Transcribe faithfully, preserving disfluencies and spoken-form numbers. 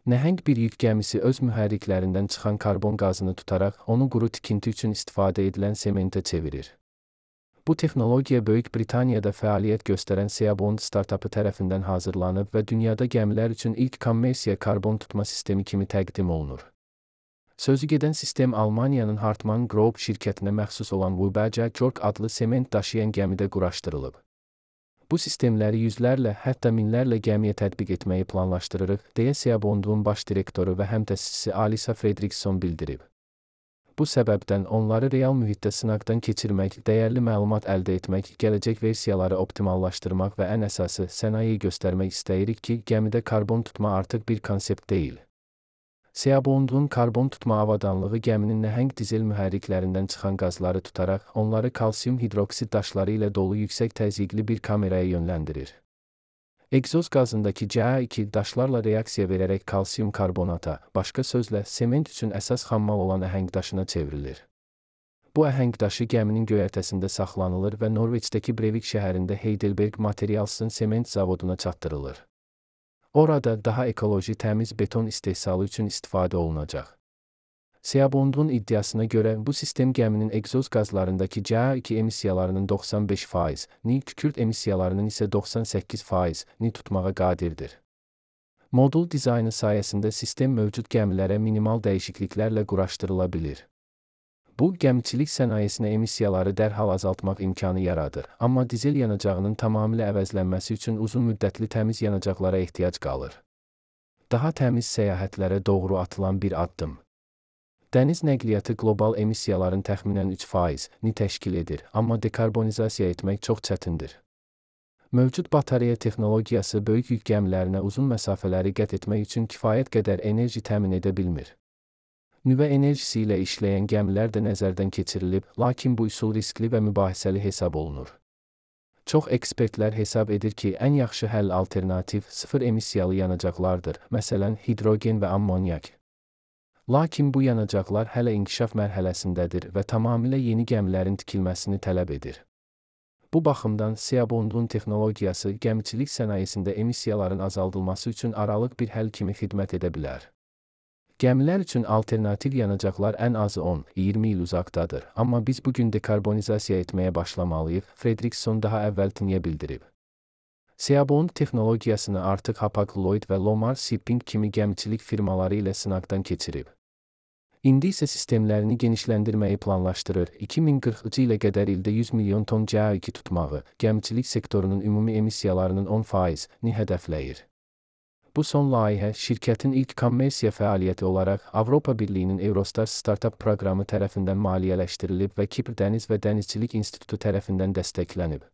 Nəhəng bir yük gəmisi öz mühərriklərindən çıxan karbon qazını tutaraq onu quru tikinti üçün istifadə edilən sementə çevirir. Bu texnologiya Böyük Britaniyada fəaliyyət göstərən Seabond startapı tərəfindən hazırlanıb və dünyada gəmilər üçün ilk kommersiya karbon tutma sistemi kimi təqdim olunur. Sözügedən sistem Almaniyanın Hartmann Group şirkətinə məxsus olan Wubaja Jork adlı sement daşıyan gəmidə quraşdırılıb. Bu sistemləri yüzlərlə, hətta minlərlə gəmiyə tətbiq etməyi planlaşdırırıq, deyə Seabond'un baş direktoru və həmtəsisçisi Alisa Fredriksson bildirib. Bu səbəbdən onları real mühitdə sınaqdan keçirmək, dəyərli məlumat əldə etmək, gələcək versiyaları optimallaşdırmaq və ən əsası sənayeyi göstərmək istəyirik ki, gəmidə karbon tutma artıq bir konsept deyil. Seabond'un karbon tutma avadanlığı gəminin nəhəng dizel mühərriklərindən çıxan qazları tutaraq, onları kalsium hidroksid daşları ilə dolu yüksək təzyiqli bir kameraya yönləndirir. Egzoz qazındakı C A iki daşlarla reaksiya verərək kalsium karbonata, başqa sözlə, sement üçün əsas xammal olan əhəng daşına çevrilir. Bu əhəng daşı gəminin göyərtəsində saxlanılır və Norveçdəki Brevik şəhərində Heidelberg Materials'ın sement zavoduna çatdırılır. Orada daha ekoloji təmiz beton istehsalı üçün istifadə olunacaq. Seabond'un iddiasına görə bu sistem gəminin egzoz qazlarındakı C A iki emissiyalarının doxsan beş faizini, kükürt emissiyalarının isə doxsan səkkiz faizini tutmağa qadirdir. Modul dizaynı sayəsində sistem mövcud gəmilərə minimal dəyişikliklərlə quraşdırıla bilir. Bu, gəmiçilik sənayesinə emissiyaları dərhal azaltmaq imkanı yaradır, amma dizel yanacağının tamamilə əvəzlənməsi üçün uzun müddətli təmiz yanacaqlara ehtiyac qalır. Daha təmiz səyahətlərə doğru atılan bir addım. Dəniz nəqliyyatı qlobal emissiyaların təxminən üç faizini təşkil edir, amma dekarbonizasiya etmək çox çətindir. Mövcud batareya texnologiyası böyük yük gəmilərinə uzun məsafələri qət etmək üçün kifayət qədər enerji təmin edə bilmir. Nüvə enerjisi ilə işləyən gəmilər də nəzərdən keçirilib, lakin bu üsul riskli və mübahisəli hesab olunur. Çox ekspertlər hesab edir ki, ən yaxşı həll alternativ, sıfır emissiyalı yanacaqlardır, məsələn, hidrogen və ammonyak. Lakin bu yanacaqlar hələ inkişaf mərhələsindədir və tamamilə yeni gəmilərin tikilməsini tələb edir. Bu baxımdan Seabond'un texnologiyası gəmiçilik sənayesində emissiyaların azaldılması üçün aralıq bir həll kimi xidmət edə bilər. Gəmilər üçün alternativ yanacaqlar ən azı on iyirmi il uzaqdadır, amma biz bugün dekarbonizasiya etməyə başlamalıyıq, Fredriksson daha əvvəl tiniyə bildirib. Seabond texnologiyasını artıq Hapag-Lloyd və Lomar Shipping kimi gəmiçilik firmaları ilə sınaqdan keçirib. İndi isə sistemlərini genişləndirməyi planlaşdırır, iki min qırxıncı ilə qədər ildə yüz milyon ton C A iki tutmağı, gəmiçilik sektorunun ümumi emissiyalarının on faizini hədəfləyir. Bu son layihə şirkətin ilk kommersiya fəaliyyəti olaraq Avropa Birliyinin Eurostars startup proqramı tərəfindən maliyyələşdirilib və Kipr Dəniz və Dənizçilik İnstitutu tərəfindən dəstəklənib.